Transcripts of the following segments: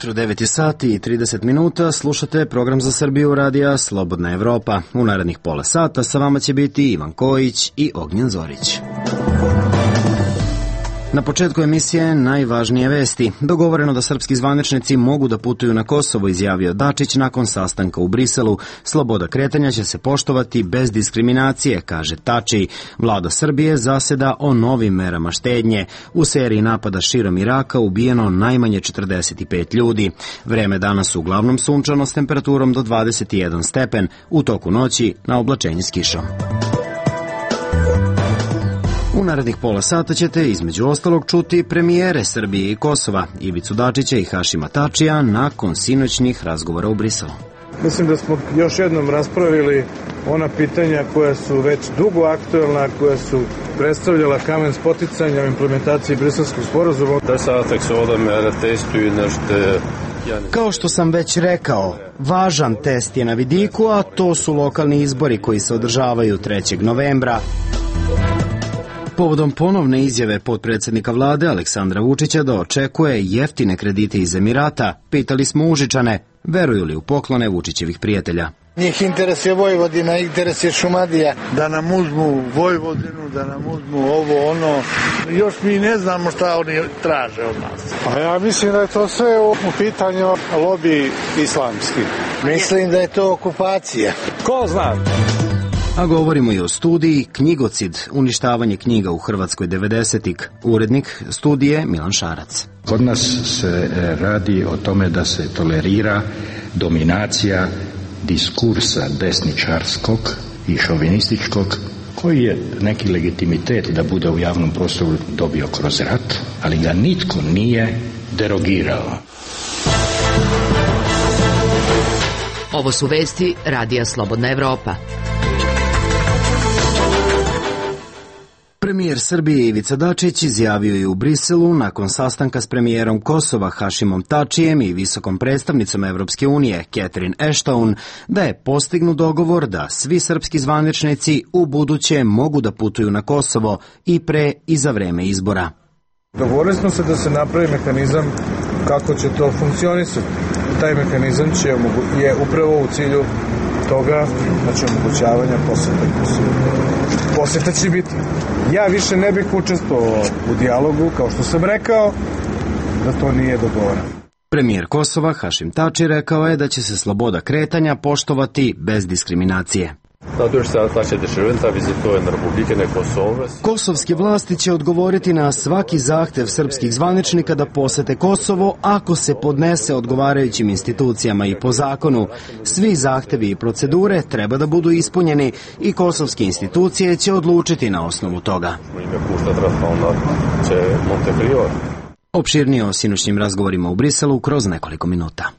jutro, 9 sati i 30 minuta, slušate program za Srbiju radija Slobodna Evropa. U narednih pola sata sa vama će biti Ivan Kojić i Ognjen Zorić. Na početku emisije najvažnije vesti. Dogovoreno da srpski zvaničnici mogu da putuju na Kosovo, izjavio Dačić nakon sastanka u Briselu. Sloboda kretanja će se poštovati bez diskriminacije, kaže Tači. Vlada Srbije zaseda o novim merama štednje. U seriji napada širom Iraka ubijeno najmanje 45 ljudi. Vreme danas uglavnom sunčano s temperaturom do 21 stepen. U toku noći na oblačenje s kišom. U narednih pola sata ćete između ostalog čuti premijere Srbije i Kosova, Ivicu Dačića i Hašima Tačija nakon sinoćnih razgovora u Briselu. Mislim da smo još jednom raspravili ona pitanja koja su već dugo aktuelna, koja su predstavljala kamen spoticanja u implementaciji briselskog sporazuma. Kao što sam već rekao, važan test je na vidiku, a to su lokalni izbori koji se održavaju 3. novembra. Povodom ponovne izjave potpredsjednika vlade Aleksandra Vučića da očekuje jeftine kredite iz Emirata, pitali smo Užičane, veruju li u poklone Vučićevih prijatelja. Njih interes je Vojvodina, interes je Šumadija. Da nam uzmu Vojvodinu, da nam uzmu ovo, ono. Još mi ne znamo šta oni traže od nas. A ja mislim da je to sve u pitanju lobi islamski. Mislim da je to okupacija. Ko zna? A govorimo i o studiji Knjigocid, uništavanje knjiga u Hrvatskoj 90-ih. Urednik studije Milan Šarac. Kod nas se radi o tome da se tolerira dominacija diskursa desničarskog i šovinističkog, koji je neki legitimitet da bude u javnom prostoru dobio kroz rat, ali ga nitko nije derogirao. Ovo su vesti Radija Slobodna Evropa. Premijer Srbije Ivica Dačić izjavio je u Briselu nakon sastanka s premijerom Kosova Hašimom Tačijem i visokom predstavnicom Evropske unije Catherine Ashton da je postignut dogovor da svi srpski zvaničnici u buduće mogu da putuju na Kosovo i pre i za vreme izbora. Dogovorili smo se da se napravi mehanizam kako će to funkcionisati. Taj mehanizam je upravo u cilju toga, znači omogućavanja posete Kosovo. Poseta će biti. Ja više ne bih učestvovao u dijalogu, kao što sam rekao, da to nije dogovoreno. Premijer Kosova Hašim Tači rekao je da će se sloboda kretanja poštovati bez diskriminacije. Kosovske vlasti će odgovoriti na svaki zahtev srpskih zvaničnika da posete Kosovo ako se podnese odgovarajućim institucijama i po zakonu. Svi zahtevi i procedure treba da budu ispunjeni i kosovske institucije će odlučiti na osnovu toga. Opširnije o sinoćnim razgovorima u Briselu kroz nekoliko minuta.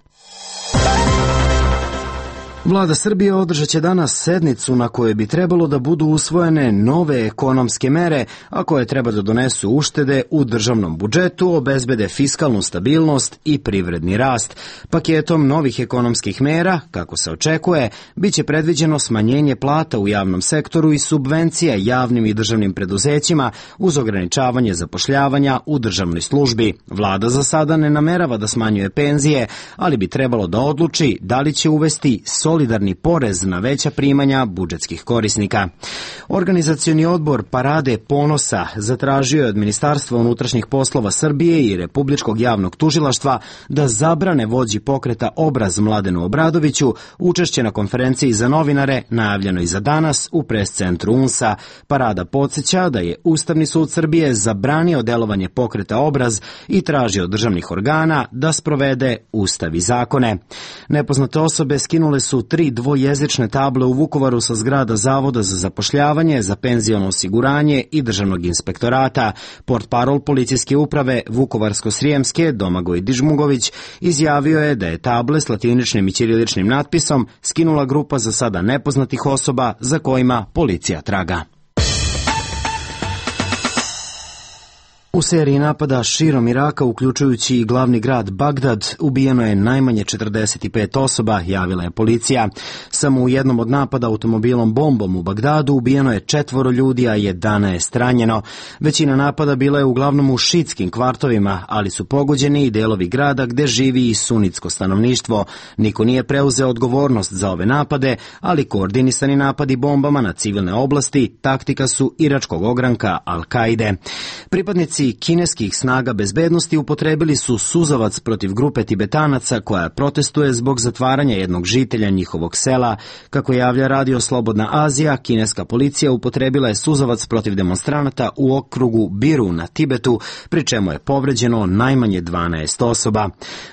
Vlada Srbije održat će danas sednicu na kojoj bi trebalo da budu usvojene nove ekonomske mere, a koje treba da donesu uštede u državnom budžetu, obezbede fiskalnu stabilnost i privredni rast. Paketom novih ekonomskih mera, kako se očekuje, biće predviđeno smanjenje plata u javnom sektoru i subvencija javnim i državnim preduzećima uz ograničavanje zapošljavanja u državnoj službi. Vlada za sada ne namerava da smanjuje penzije, ali bi trebalo da odluči da li će uvesti solidarni porez na veća primanja budžetskih korisnika. Organizacioni odbor Parade ponosa zatražio je od Ministarstva unutrašnjih poslova Srbije i Republičkog javnog tužilaštva da zabrane vođi pokreta Obraz Mladenu Obradoviću učešće na konferenciji za novinare najavljenoj za danas u pres centru UNS-a. Parada podsjeća da je Ustavni sud Srbije zabranio delovanje pokreta Obraz i traži od državnih organa da sprovede ustav i zakone. Nepoznate osobe skinule su 3 dvojezične table u Vukovaru sa zgrada Zavoda za zapošljavanje, za penziono osiguranje i državnog inspektorata. Portparol policijske uprave Vukovarsko-Srijemske Domagoj Dižmugović izjavio je da je table s latiničnim i ćiriličnim natpisom skinula grupa za sada nepoznatih osoba za kojima policija traga. U seriji napada širom Iraka, uključujući i glavni grad Bagdad, ubijeno je najmanje 45 osoba, javila je policija. Samo u jednom od napada automobilom bombom u Bagdadu ubijeno je 4 ljudi, a 11 ranjeno. Većina napada bila je uglavnom u šiitskim kvartovima, ali su pogođeni i delovi grada gde živi i sunitsko stanovništvo. Niko nije preuzeo odgovornost za ove napade, ali koordinisani napadi bombama na civilne oblasti taktika su iračkog ogranka Al-Kaide. Pripadnici kineskih snaga bezbednosti upotrebili su suzavac protiv grupe Tibetanaca koja protestuje zbog zatvaranja jednog žitelja njihovog sela. Kako javlja radio Slobodna Azija, kineska policija upotrebila je suzavac protiv demonstranata u okrugu Biru na Tibetu, pri čemu je povređeno najmanje 12 osoba.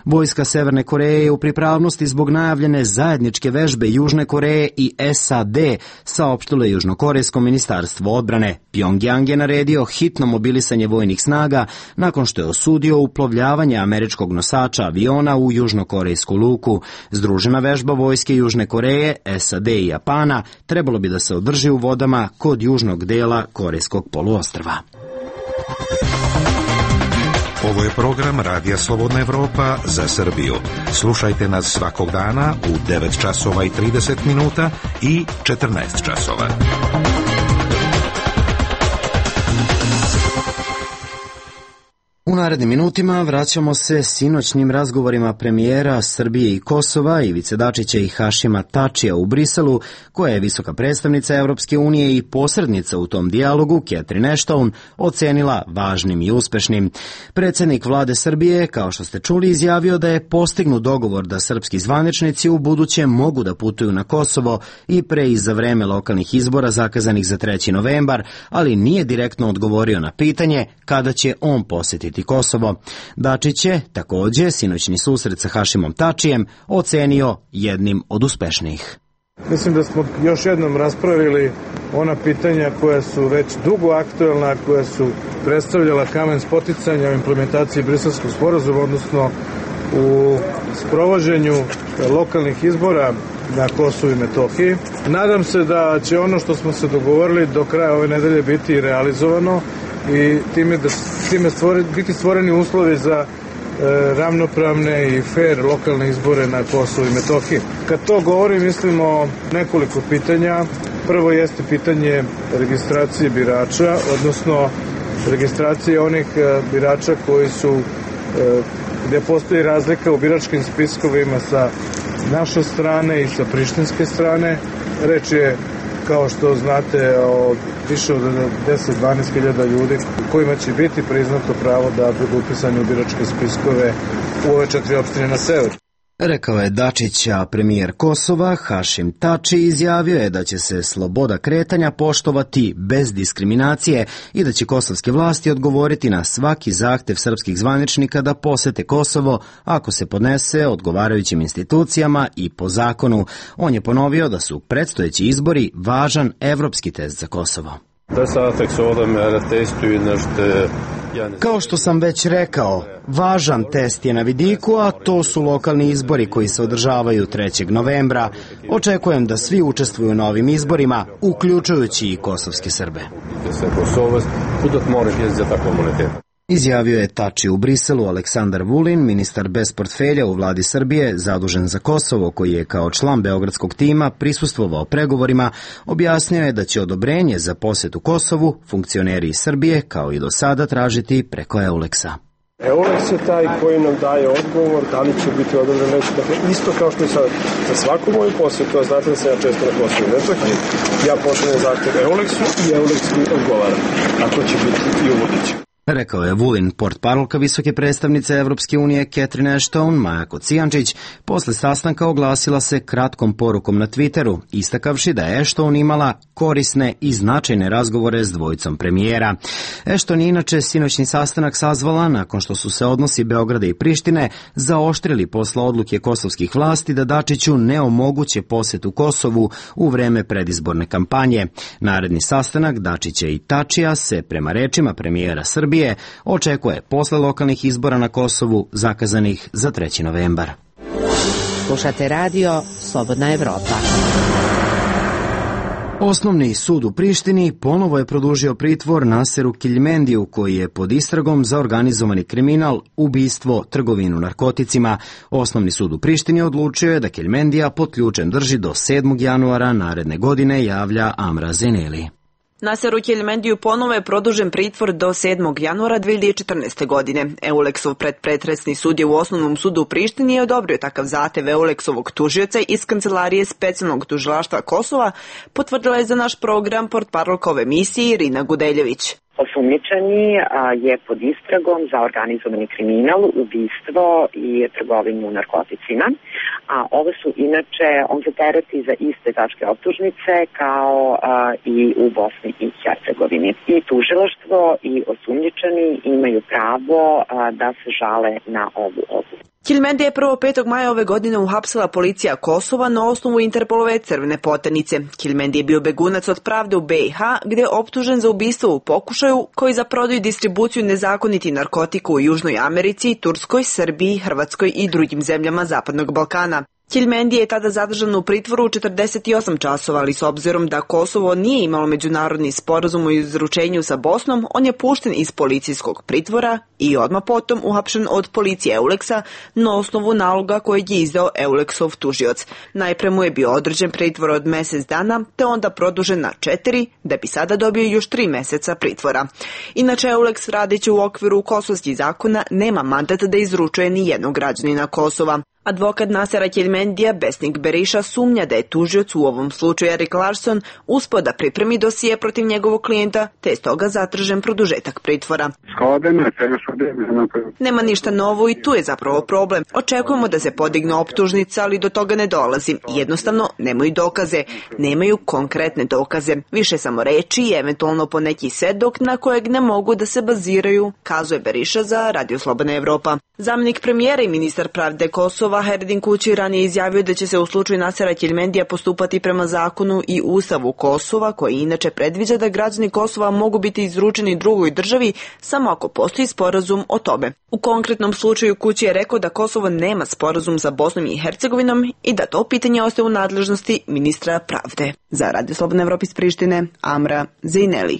Vojska Severne Koreje je u pripravnosti zbog najavljene zajedničke vežbe Južne Koreje i SAD, saopštilo je Južnokorejsko ministarstvo odbrane. Pjongjang je naredio hitno mobilisanje vojnih snaga nakon što je osudio uplovljavanje američkog nosača aviona u južnokorejsku luku. Združena vežba vojske Južne Koreje, SAD i Japana trebalo bi da se održi u vodama kod južnog dela Korejskog poluostrva. Ovo je program Radija Slobodna Evropa za Srbiju. Slušajte nas svakog dana u 9 časova i 30 minuta i 14 časova. U narednim minutima vraćamo se sinoćnim razgovorima premijera Srbije i Kosova, Ivice Dačića i Hašima Tačija u Briselu, koja je visoka predstavnica Evropske unije i posrednica u tom dijalogu, Catherine Ashton, ocenila važnim i uspešnim. Predsjednik vlade Srbije, kao što ste čuli, izjavio da je postignut dogovor da srpski zvaničnici u buduće mogu da putuju na Kosovo i pre i za vreme lokalnih izbora zakazanih za 3. novembar, ali nije direktno odgovorio na pitanje kada će on posjetiti Kosovo. Dačić je također sinoćni susret sa Hašimom Tačijem ocenio jednim od uspešnijih. Mislim da smo još jednom raspravili ona pitanja koja su već dugo aktuelna, koja su predstavljala kamen spoticanja u implementaciji Briselskog sporazuma, odnosno u sprovođenju lokalnih izbora na Kosovu i Metohiji. Nadam se da će ono što smo se dogovorili do kraja ove nedelje biti realizovano i time biti stvoreni uslovi za ravnopravne i fair lokalne izbore na Kosovu i Metohiji. Kad to govorim, mislim o nekoliko pitanja. Prvo jeste pitanje registracije birača, odnosno registracije onih birača koji su, gde postoji razlika u biračkim spiskovima sa naše strane i sa prištinske strane. Reč je, kao što znate, o više od 10-12 hiljada ljudi kojima će biti priznato pravo da budu upisani u biračke spiskove u ove 4 opštine na severu. Rekao je Dačić, a premijer Kosova Hašim Tači izjavio je da će se sloboda kretanja poštovati bez diskriminacije i da će kosovske vlasti odgovoriti na svaki zahtev srpskih zvaničnika da posete Kosovo ako se podnese odgovarajućim institucijama i po zakonu. On je ponovio da su predstojeći izbori važan evropski test za Kosovo. Kao što sam već rekao, važan test je na vidiku, a to su lokalni izbori koji se održavaju 3. novembra. Očekujem da svi učestvuju na ovim izborima, uključujući i kosovske Srbe. Izjavio je Tači u Briselu. Aleksandar Vulin, ministar bez portfelja u vladi Srbije, zadužen za Kosovo, koji je kao član beogradskog tima prisustvovao pregovorima, objasnio je da će odobrenje za posjetu Kosovu funkcioneri iz Srbije, kao i do sada, tražiti preko Euleksa. Euleks je taj koji nam daje odgovor da li će biti odobren neće. Dakle, isto kao što i sad, za svaku moju posjetu, a znate da sam ja često na Kosovu i Metohiji, ja pošaljem zahtev Euleksu i Euleks mi odgovara. Tako će biti i u buduće. Rekao je Vulin. Portparolka visoke predstavnice Evropske unije Catherine Ashton, Maja Kocijančić, posle sastanka oglasila se kratkom porukom na Twitteru, istakavši da je Ashton imala korisne i značajne razgovore s dvojicom premijera. Ashton je inače sinoćni sastanak sazvala nakon što su se odnosi Beograda i Prištine zaoštrili posle odluke kosovskih vlasti da Dačiću ne omoguće posjetu Kosovu u vreme predizborne kampanje. Naredni sastanak Dačića i Tačija se, prema rečima premijera Srbije, očekuje posle lokalnih izbora na Kosovu zakazanih za 3. novembar. Slušate radio Slobodna Evropa. Osnovni sud u Prištini ponovo je produžio pritvor Naseru Kiljmendiju, koji je pod istragom za organizovani kriminal, ubistvo, trgovinu narkoticima. Osnovni sud u Prištini odlučio je da Kiljmendija pod ključem drži do 7. januara naredne godine, javlja Amra Zeneli. Naseru Kiljmendiju ponovo je produžen pritvor do 7. januara 2014. godine. Euleksov predpretresni sud je u Osnovnom sudu u Prištini odobrio takav zahtev Euleksovog tužioca iz Kancelarije specijalnog tužilaštva Kosova, potvrdila je za naš program portparolka ove emisije Irina Gudeljević. Osumnjičeni je pod istragom za organizovani kriminal, ubistvo i trgovinu narkoticima, a ovo su inače, on se tereti za iste tačke optužnice kao i u Bosni i Hercegovini. I tužilaštvo i osumnjičeni imaju pravo da se žale na ovu odluku. Kiljmendija je 5. maja ove godine uhapsila policija Kosova na osnovu Interpolove crvene poternice. Kiljmendija je bio begunac od pravde u BiH, gde je optužen za ubistvo u pokušaju, koji za prodaju i distribuciju nezakoniti narkotika u Južnoj Americi, Turskoj, Srbiji, Hrvatskoj i drugim zemljama Zapadnog Balkana. Kiljmendija je tada zadržan u pritvoru 48 časova, ali s obzirom da Kosovo nije imalo međunarodni sporazum o izručenju sa Bosnom, on je pušten iz policijskog pritvora i odmah potom uhapšen od policije Euleksa na osnovu naloga kojeg je izdao Euleksov tužioc. Najpre mu je bio određen pritvor od mesec dana, te onda produžen na 4, da bi sada dobio još 3 meseca pritvora. Inače, Euleks, radeći u okviru kosovskih zakona, nema mandat da izručuje ni jednog građanina Kosova. Advokat Nasera Kiljmendija, Besnik Beriša, sumnja da je tužioc, u ovom slučaju Erik Larsson, uspeo da pripremi dosije protiv njegovog klijenta, te je stoga zatražen produžetak pritvora. Nema ništa novo i tu je zapravo problem. Očekujemo da se podigne optužnica, ali do toga ne dolazi. Jednostavno, nemaju dokaze. Nemaju konkretne dokaze. Više samo reči i eventualno po neki svedok na kojeg ne mogu da se baziraju, kazuje Beriša za Radio Slobodna Evropa. Zamjenik premijera i ministar pravde Kosova Herdin Kući ranije izjavio da će se u slučaju Nasera Kiljmendija postupati prema zakonu i ustavu Kosova, koji inače predviđa da građani Kosova mogu biti izručeni drugoj državi samo ako postoji sporazum o tome. U konkretnom slučaju Kući je rekao da Kosovo nema sporazum sa Bosnom i Hercegovinom i da to pitanje ostaje u nadležnosti ministra pravde. Za Radio Slobodna Evropa iz Prištine, Amra Zeneli.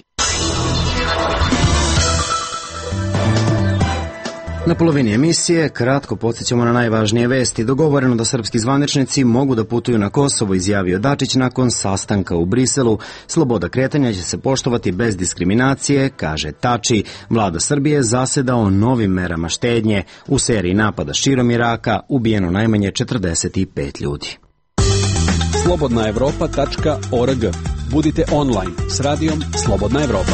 Na polovini emisije kratko podsjećamo na najvažnije vesti. Dogovoreno da srpski zvaničnici mogu da putuju na Kosovo, izjavio Dačić nakon sastanka u Briselu. Sloboda kretanja će se poštovati bez diskriminacije, kaže Tači. Vlada Srbije zaseda o novim merama štednje. U seriji napada širom Iraka ubijeno najmanje 45 ljudi. slobodnaevropa.org. Budite online s radijom Slobodna Evropa.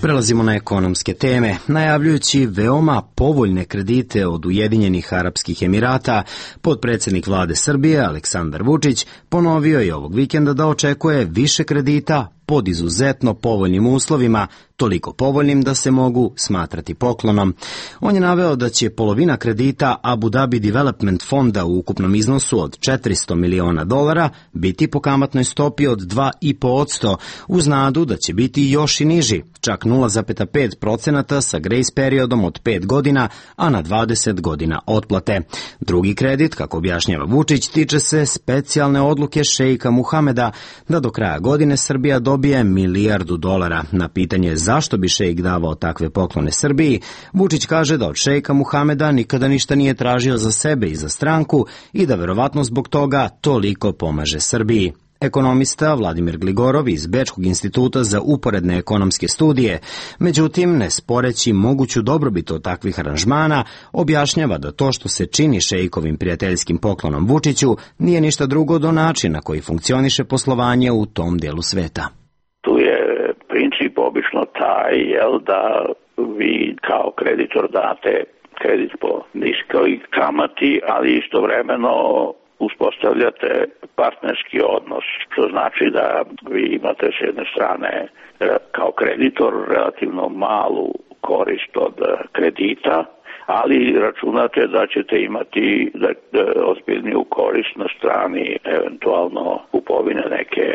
Prelazimo na ekonomske teme. Najavljujući veoma povoljne kredite od Ujedinjenih Arapskih Emirata, potpredsjednik vlade Srbije Aleksandar Vučić ponovio je ovog vikenda da očekuje više kredita pod izuzetno povoljnim uslovima, toliko povoljnim da se mogu smatrati poklonom. On je naveo da će polovina kredita Abu Dhabi Development fonda u ukupnom iznosu od $400 miliona biti po kamatnoj stopi od 2,5%, uz nadu da će biti još i niži, čak 0,5% sa grace periodom od 5 godina, a na 20 godina otplate. Drugi kredit, kako objašnjava Vučić, tiče se specijalne odluke šejka Muhameda da do kraja godine Srbija dobije $1 milijardu. Na pitanje zašto bi šejk davao takve poklone Srbiji, Vučić kaže da od šejka Muhameda nikada ništa nije tražio za sebe i za stranku i da verovatno zbog toga toliko pomaže Srbiji. Ekonomista Vladimir Gligorov iz Bečkog instituta za uporedne ekonomske studije, međutim, ne sporeći moguću dobrobit od takvih aranžmana, objašnjava da to što se čini šejkovim prijateljskim poklonom Vučiću nije ništa drugo do načina koji funkcioniše poslovanje u tom delu sveta. Tu je princip obično taj, da vi kao kreditor date kredit po niskoj kamati, ali istovremeno uspostavljate partnerski odnos, što znači da vi imate s jedne strane kao kreditor relativno malu korist od kredita, ali računate da ćete imati ozbiljniju korist na strani eventualno kupovine neke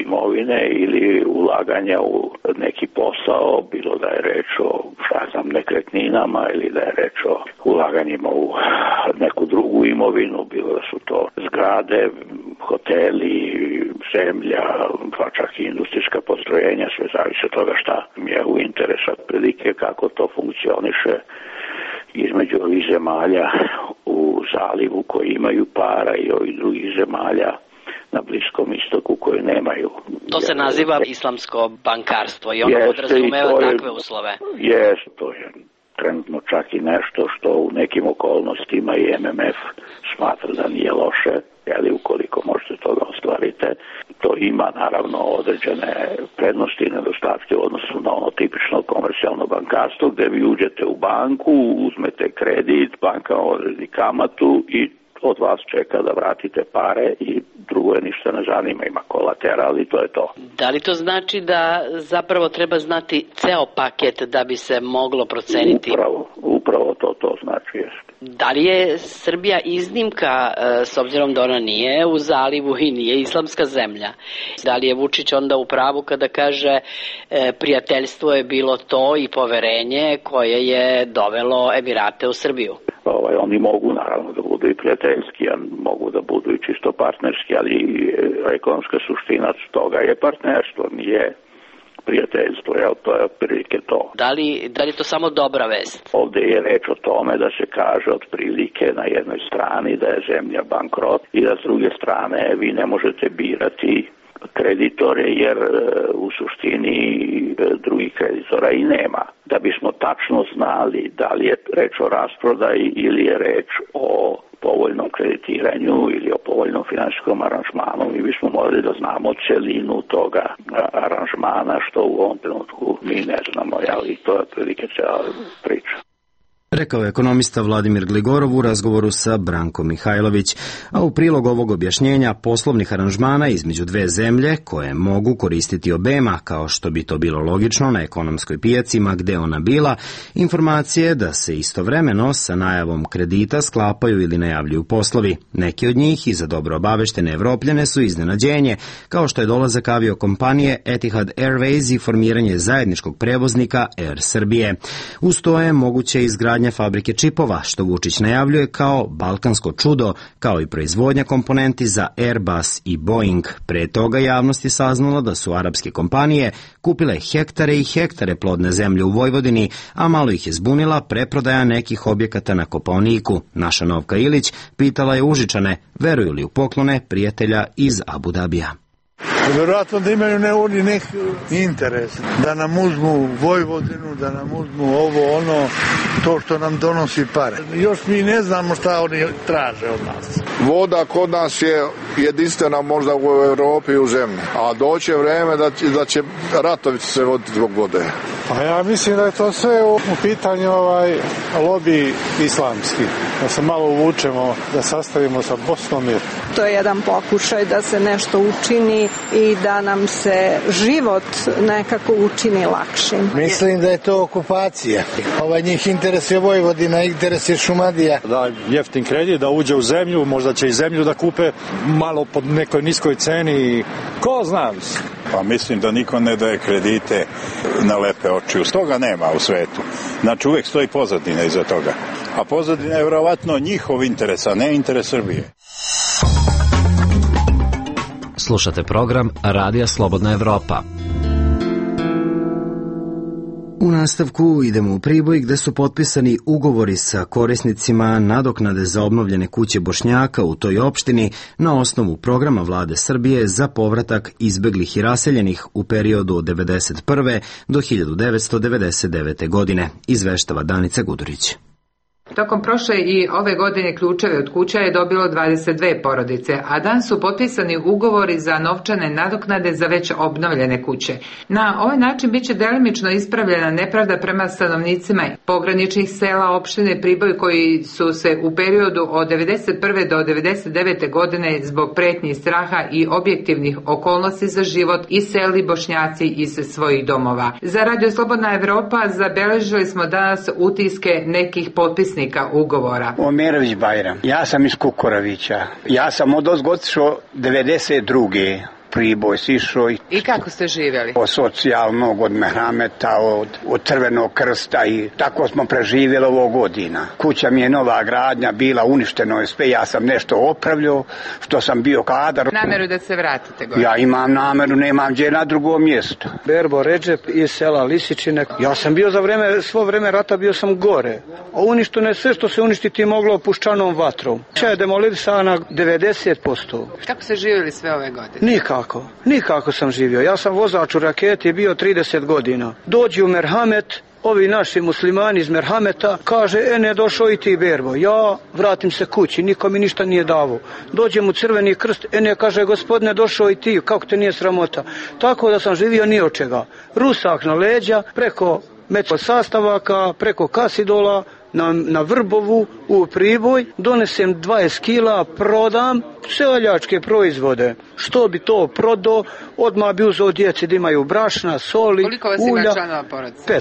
imovine ili ulaganja u neki posao, bilo da je reč o nekretninama ili da je reč o ulaganjima u neku drugu imovinu, bilo da su to zgrade, hoteli, zemlja, pa čak i industrijska postrojenja, sve zavisi od toga šta mi je u interesu, prilike kako to funkcioniše između ovih zemalja u zalivu koji imaju para i ovih drugih zemalja na Bliskom istoku koji nemaju. To se naziva islamsko bankarstvo i ono podrazumeva takve uslove. To je trenutno čak i nešto što u nekim okolnostima i MMF smatra da nije loše, ali ukoliko možete toga ostvarite, to ima naravno određene prednosti i nedostatke u odnosu na ono tipično komercijalno bankarstvo gde vi uđete u banku, uzmete kredit, banka odredi kamatu i od vas čeka da vratite pare i drugo je ništa ne zanima, ima kolateral i to je to. Da li to znači da zapravo treba znati ceo paket da bi se moglo proceniti? Upravo to znači jest. Da li je Srbija iznimka s obzirom da ona nije u zalivu i nije islamska zemlja? Da li je Vučić onda u pravu kada kaže prijateljstvo je bilo to i poverenje koje je dovelo Emirate u Srbiju? Oni mogu naravno da budu i prijateljski, a mogu da budu i čisto partnerski, ali ekonomska suština toga je partnerstvo, nije prijateljstvo, to je otprilike to. Da li je to samo dobra vest? Ovde je reč o tome da se kaže otprilike na jednoj strani da je zemlja bankrot i da s druge strane vi ne možete birati kreditore jer u suštini drugih kreditora i nema. Da bismo tačno znali da li je reč o rasprodaji ili je reč o povoljnom kreditiranju ili o povoljnom finansijskom aranžmanu, mi bismo morali da znamo celinu toga aranžmana što u ovom trenutku mi ne znamo, ali to je otprilike cijela priča. Rekao je ekonomista Vladimir Gligorov u razgovoru sa Brankom Mihajlović, a u prilog ovog objašnjenja poslovnih aranžmana između dve zemlje koje mogu koristiti obema, kao što bi to bilo logično na ekonomskoj pijaci ma gde ona bila, informacije da se istovremeno sa najavom kredita sklapaju ili najavljuju poslovi. Neki od njih i za dobro obaveštene Evropljane su iznenađenje, kao što je dolazak aviokompanije Etihad Airways i formiranje zajedničkog prevoznika Air Srbije. Uz to je moguće izgradnja fabrike čipova, što Vučić najavljuje kao balkansko čudo, kao i proizvodnja komponenti za Airbus i Boeing. Pre toga javnost je saznala da su arapske kompanije kupile hektare i hektare plodne zemlje u Vojvodini, a malo ih je zbunila preprodaja nekih objekata na Kopaoniku. Naša Novka Ilić pitala je Užičane veruju li u poklone prijatelja iz Abu Dabija. Vjerojatno da imaju neki interes, da nam uzmu Vojvodinu, da nam uzmu ovo, ono, to što nam donosi pare. Još mi ne znamo šta oni traže od nas. Voda kod nas je jedinstvena možda u Evropi i u zemlji, a doće vreme da će ratovi se voditi zbog vode. Pa ja mislim da je to sve u pitanju lobi islamski, da se malo uvučemo, da sastavimo sa Bosnom. To je jedan pokušaj da se nešto učini i da nam se život nekako učini lakšim. Mislim da je to okupacija. Njih interesuje Vojvodina, interesuje Šumadija. Da jeftin kredit, da uđe u zemlju, možda će i zemlju da kupe malo pod nekoj niskoj ceni. Ko zna? Pa mislim da niko ne daje kredite na lepe oči. Toga nema u svetu. Znači uvek stoji pozadina iza toga. A pozadina je vjerovatno njihov interes, a ne interes Srbije. Slušate program Radija Slobodna Evropa. U nastavku idemo u Priboj gde su potpisani ugovori sa korisnicima nadoknade za obnovljene kuće Bošnjaka u toj opštini na osnovu programa Vlade Srbije za povratak izbeglih i raseljenih u periodu od 1991. do 1999. godine, izveštava Danica Gudurić. Tokom prošle i ove godine ključeve od kuća je dobilo 22 porodice, a danas su potpisani ugovori za novčane nadoknade za već obnovljene kuće. Na ovaj način biće delimično ispravljena nepravda prema stanovnicima pograničnih sela opštine Priboj koji su se u periodu od 1991. do 1999. godine zbog pretnji i straha i objektivnih okolnosti za život iselili Bošnjaci iz svojih domova. Za Radio Slobodna Evropa zabeležili smo danas utiske nekih potpisnika ugovora. Omerović Bajram. Ja sam iz Kukoravića. Ja sam od otišao 92. Priboj sišao. I kako ste živjeli? Od socijalnog, od merhameta, od Crvenog krsta i tako smo preživjeli ovo godina. Kuća mi je nova gradnja bila, uništeno je sve, ja sam nešto opravljao, što sam bio kadar. Nameru da se vratite gore? Ja imam nameru, nemam gdje na drugo mjesto. Berbo Redžep iz sela Lisičine. Ja sam bio svo vreme rata bio sam gore. A uništeno je sve što se uništiti moglo puščanom vatrom. Kuća je demolisana 90%. Kako ste živjeli sve ove godine? Nikako sam živio. Ja sam vozač u raketi bio 30 godina. Dođi u merhamet, ovi naši muslimani iz merhameta, kaže, ne došao i ti Berbo. Ja vratim se kući, niko mi ništa nije davo. Dođem u Crveni krst, ne kaže, gospodine, došao i ti, kako te nije sramota. Tako da sam živio ni od čega. Rusak na leđa, preko sastavaka, preko Kasidola, na Vrbovu, u Priboj, donesem 20 kila, prodam seljačke proizvode. Što bi to prodao, odmah bi uzeo djeci da imaju brašna, soli, ulja. Koliko vas ima članova porodice?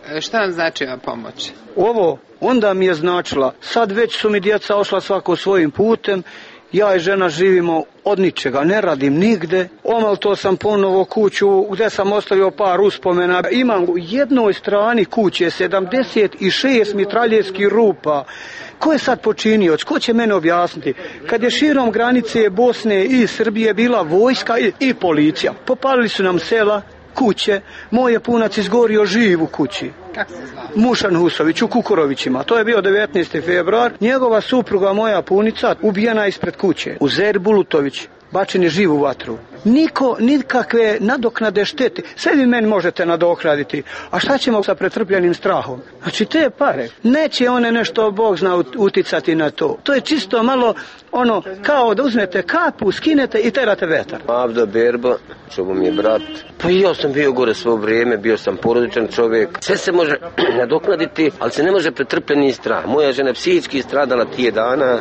5. Šta vam znači ova pomoć? Ovo onda mi je značila. Sad već su mi djeca ošla svako svojim putem. Ja i žena živimo od ničega, ne radim nigde. Omalto sam ponovo kuću gdje sam ostavio par uspomena. Imam u jednoj strani kuće 76 mitraljevskih rupa. Ko je sad počinioc? Ko će mene objasniti? Kad je širom granice Bosne i Srbije bila vojska i policija. Popalili su nam sela, kuće. Moj je punac izgorio živ u kući. Kako se zvao? Mušan Husović u Kukurovićima. To je bio 19. februar. Njegova supruga, moja punica, ubijena ispred kuće. Uzer Bulutović, bačen je živ u vatru. Niko, nikakve nadoknade štete. Sve vi meni možete nadoknaditi. A šta ćemo sa pretrpljenim strahom? Znači te pare. Neće one nešto, Bog zna, uticati na to. To je čisto malo kao da uzmete kapu, skinete i terate vetar. Avda Berba, čubo mi je brat. Pa i ja sam bio gore svo vrijeme, bio sam porodičan čovjek. Sve se može nadoknaditi, ali se ne može pretrpljeni strah. Moja žena psihički stradala tije dana.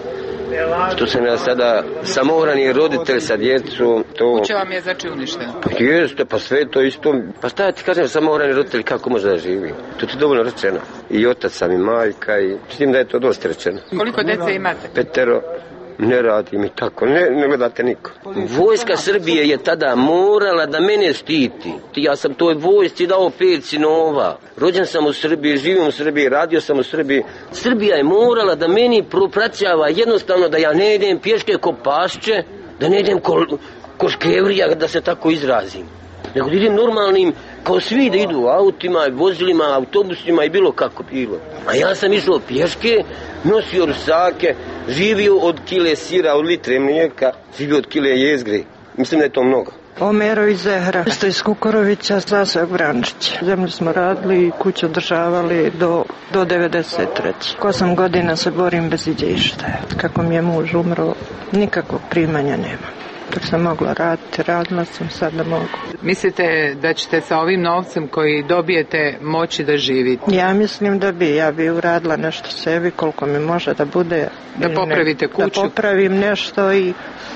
Što sam ja sada samohrani roditelj sa djecom. Kuća vam je znači uništena? Pa jeste, pa sve to isto. Pa šta ja ti kažem, samohrani roditelj kako može da živi? To ti dovoljno rečeno. I otac sam i majka i s tim da je to dosta rečeno. Koliko djece imate? 5. Ne radim i tako, ne gledate niko. Vojska Srbije je tada morala da mene štiti. Ja sam toj vojsci dao 5 sinova. Rođen sam u Srbiji, živim u Srbiji, radio sam u Srbiji. Srbija je morala da meni propraćava jednostavno da ja ne idem pješke ko pašće, da ne idem ko škevrija, da se tako izrazim. Nego da idem normalnim, kao svi da idu autima, vozilima, autobusima i bilo kako bilo. A ja sam išao pješke, nosio rusake, živio od kile sira, od litre mlijeka, živio od kile jezgre. Mislim da je to mnogo. Omerović Zehra, isto iz Kukorovića, Sasvog Vrančića. Zemlju smo radili i kuću održavali do 93. 8 godina se borim bez iđe išta. Kako mi je muž umro, nikakvog primanja nema. Dok sam mogla raditi, radila sam, sad da mogu. Mislite da ćete sa ovim novcem koji dobijete moći da živite? Ja mislim da bi. Ja bi uradila nešto sebi koliko mi može da bude. Da popravite kuću? Da popravim nešto i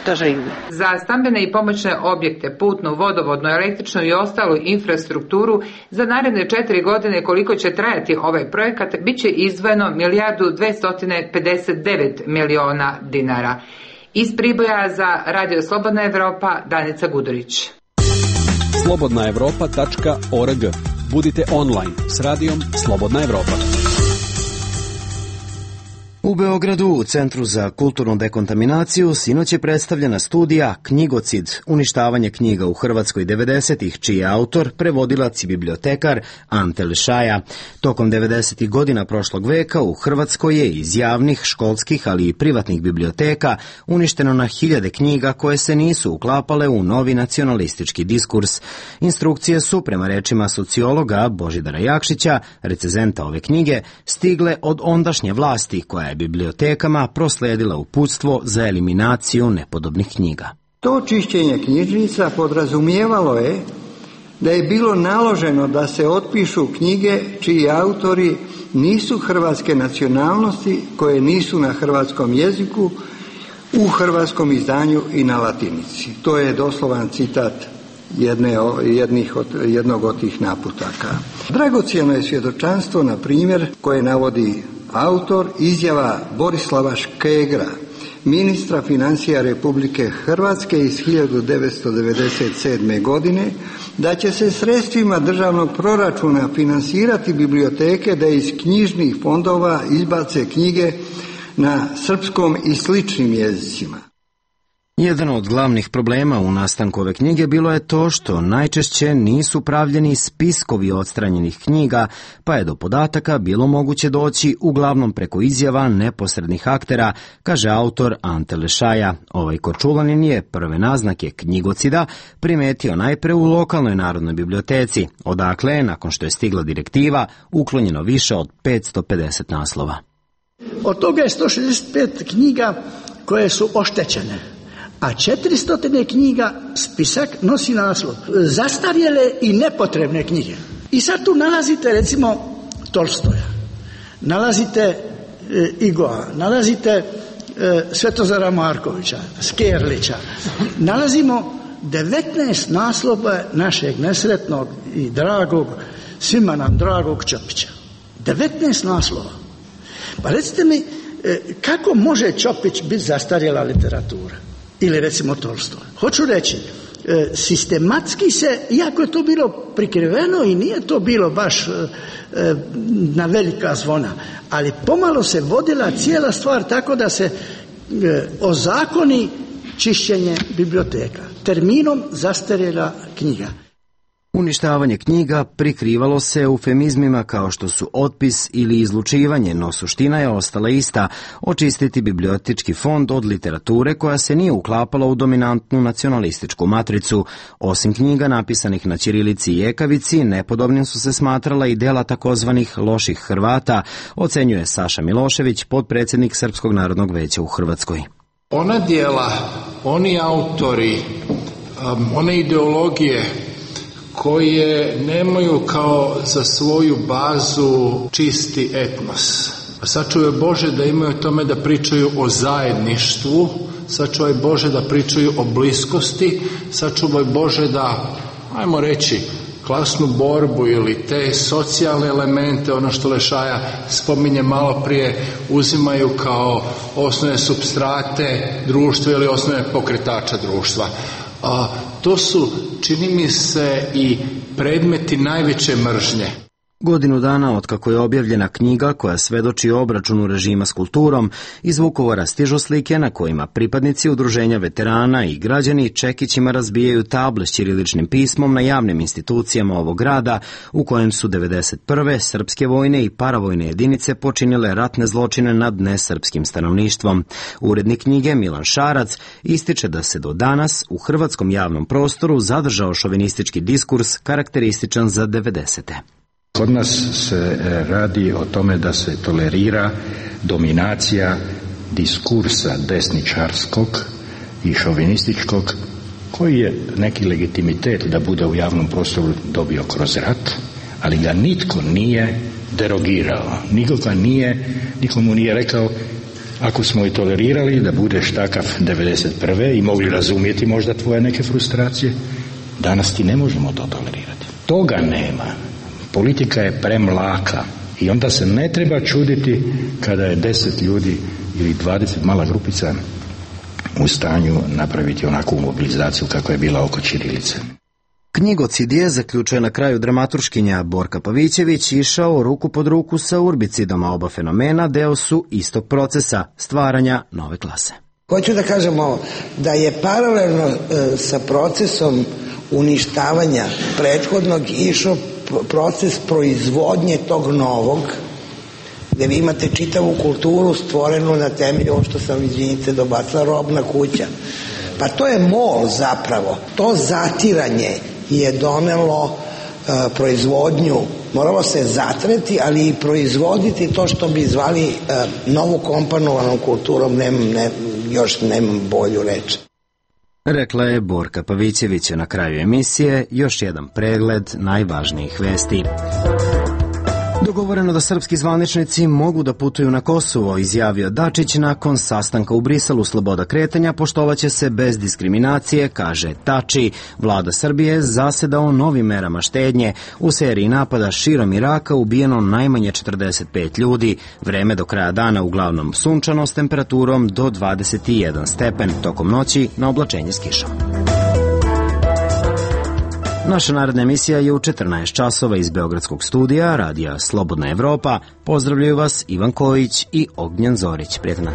da živim. Za stambene i pomoćne objekte, putnu, vodovodnu, električnu i ostalu infrastrukturu za naredne 4 godine koliko će trajati ovaj projekat, bit će izdvojeno 1.259 miliona dinara. Iz Priboja za Radio Slobodna Evropa, Danica Gudurić. slobodnaevropa.org. Budite online s radijom Slobodna Evropa. U Beogradu, u Centru za kulturnu dekontaminaciju, sinoć je predstavljena studija Knjigocid, uništavanje knjiga u Hrvatskoj 90-ih, čiji je autor prevodilac i bibliotekar Ante Lešaja. Tokom 90-ih godina prošlog veka u Hrvatskoj je iz javnih, školskih, ali i privatnih biblioteka uništeno na hiljade knjiga koje se nisu uklapale u novi nacionalistički diskurs. Instrukcije su, prema rečima sociologa Božidara Jakšića, recenzenta ove knjige, stigle od ondašnje vlasti koja je bibliotekama prosledila uputstvo za eliminaciju nepodobnih knjiga. To čišćenje knjižnica podrazumijevalo je da je bilo naloženo da se otpišu knjige čiji autori nisu hrvatske nacionalnosti, koje nisu na hrvatskom jeziku, u hrvatskom izdanju i na latinici. To je doslovan citat jednog od tih naputaka. Dragocjeno je svjedočanstvo, na primjer, koje navodi autor, izjava Borislava Škegra, ministra financija Republike Hrvatske iz 1997. godine da će se sredstvima državnog proračuna finansirati biblioteke da iz knjižnih fondova izbace knjige na srpskom i sličnim jezicima. Jedan od glavnih problema u nastanku ove knjige bilo je to što najčešće nisu pravljeni spiskovi odstranjenih knjiga, pa je do podataka bilo moguće doći uglavnom preko izjava neposrednih aktera, kaže autor Ante Lešaja. Ovaj Korčulanin je prve naznake knjigocida primetio najpre u lokalnoj narodnoj biblioteci, odakle je, nakon što je stigla direktiva, uklonjeno više od 550 naslova. Od toga je 165 knjiga koje su oštećene, a 400 knjiga spisak nosi naslov zastarjele i nepotrebne knjige. I sad tu nalazite recimo Tolstoja, nalazite Igoa, nalazite Svetozara Markovića, Skerlića, nalazimo 19 naslova našeg nesretnog i dragog, svima nam dragog Ćopića. 19 naslova. Pa recite mi, kako može Ćopić biti zastarjela literatura? Ili recimo Tolstoj. Hoću reći, sistematski se, iako je to bilo prikriveno i nije to bilo baš na velika zvona, ali pomalo se vodila cijela stvar tako da se ozakoni čišćenje biblioteka terminom zastarjela knjiga. Uništavanje knjiga prikrivalo se eufemizmima kao što su otpis ili izlučivanje, no suština je ostala ista: očistiti bibliotički fond od literature koja se nije uklapala u dominantnu nacionalističku matricu. Osim knjiga napisanih na ćirilici i ekavici, nepodobnim su se smatrala i dela takozvanih loših Hrvata, ocenjuje Saša Milošević, potpredsjednik Srpskog narodnog veća u Hrvatskoj. Ona dijela, oni autori, one ideologije koje nemaju kao za svoju bazu čisti etnos. Sačuvaj Bože da imaju tome da pričaju o zajedništvu, sačuvaj Bože da pričaju o bliskosti, sačuvaj Bože da, ajmo reći, klasnu borbu ili te socijalne elemente, ono što Lešaja spominje malo prije, uzimaju kao osnovne supstrate društva ili osnovne pokretača društva. To su, čini mi se, i predmeti najveće mržnje. Godinu dana otkako je objavljena knjiga koja svedoči o obračunu režima s kulturom, iz Vukovara stižu slike na kojima pripadnici udruženja veterana i građani čekićima razbijaju table s ćiriličnim pismom na javnim institucijama ovog grada, u kojem su 1991. srpske vojne i paravojne jedinice počinile ratne zločine nad nesrpskim stanovništvom. Urednik knjige Milan Šarac ističe da se do danas u hrvatskom javnom prostoru zadržao šovinistički diskurs karakterističan za 90. Kod nas se radi o tome da se tolerira dominacija diskursa desničarskog i šovinističkog, koji je neki legitimitet da bude u javnom prostoru dobio kroz rat, ali ga nitko nije derogirao. Nikomu nije rekao, ako smo i tolerirali da budeš takav 1991. i mogli razumjeti možda tvoje neke frustracije, danas ti ne možemo to tolerirati. Toga nema. Politika je premlaka i onda se ne treba čuditi kada je 10 ljudi ili 20 mala grupica u stanju napraviti onakvu mobilizaciju kako je bila oko ćirilice. Knjigocid je, zaključuje na kraju dramaturškinja Borka Pavićević, išao ruku pod ruku sa urbicidom, a oba fenomena deo su istog procesa stvaranja nove klase. Hoću da kažem ovo, da je paralelno sa procesom uništavanja prethodnog išao proces proizvodnje tog novog, gde vi imate čitavu kulturu stvorenu na temelju, ovo što sam izvinite dobacila, robna kuća. Pa to je mol zapravo. To zatiranje je donelo proizvodnju, moralo se zatreti, ali i proizvoditi to što bi zvali novu komponovanom kulturom, nemam bolju reč. Rekla je Borka Pavićević. Na kraju emisije još jedan pregled najvažnijih vesti. Dogovoreno da srpski zvaničnici mogu da putuju na Kosovo, izjavio Dačić nakon sastanka u Briselu. Sloboda kretanja poštovaće se bez diskriminacije, kaže Tači. Vlada Srbije zaseda o novim merama štednje. U seriji napada širom Iraka ubijeno najmanje 45 ljudi. Vreme do kraja dana uglavnom sunčano s temperaturom do 21 stepen. Tokom noći na oblačenje s kišom. Naša naredna emisija je u 14 časova iz Beogradskog studija, radija Slobodna Evropa. Pozdravljaju vas Ivan Kojić i Ognjen Zorić. Prijetno.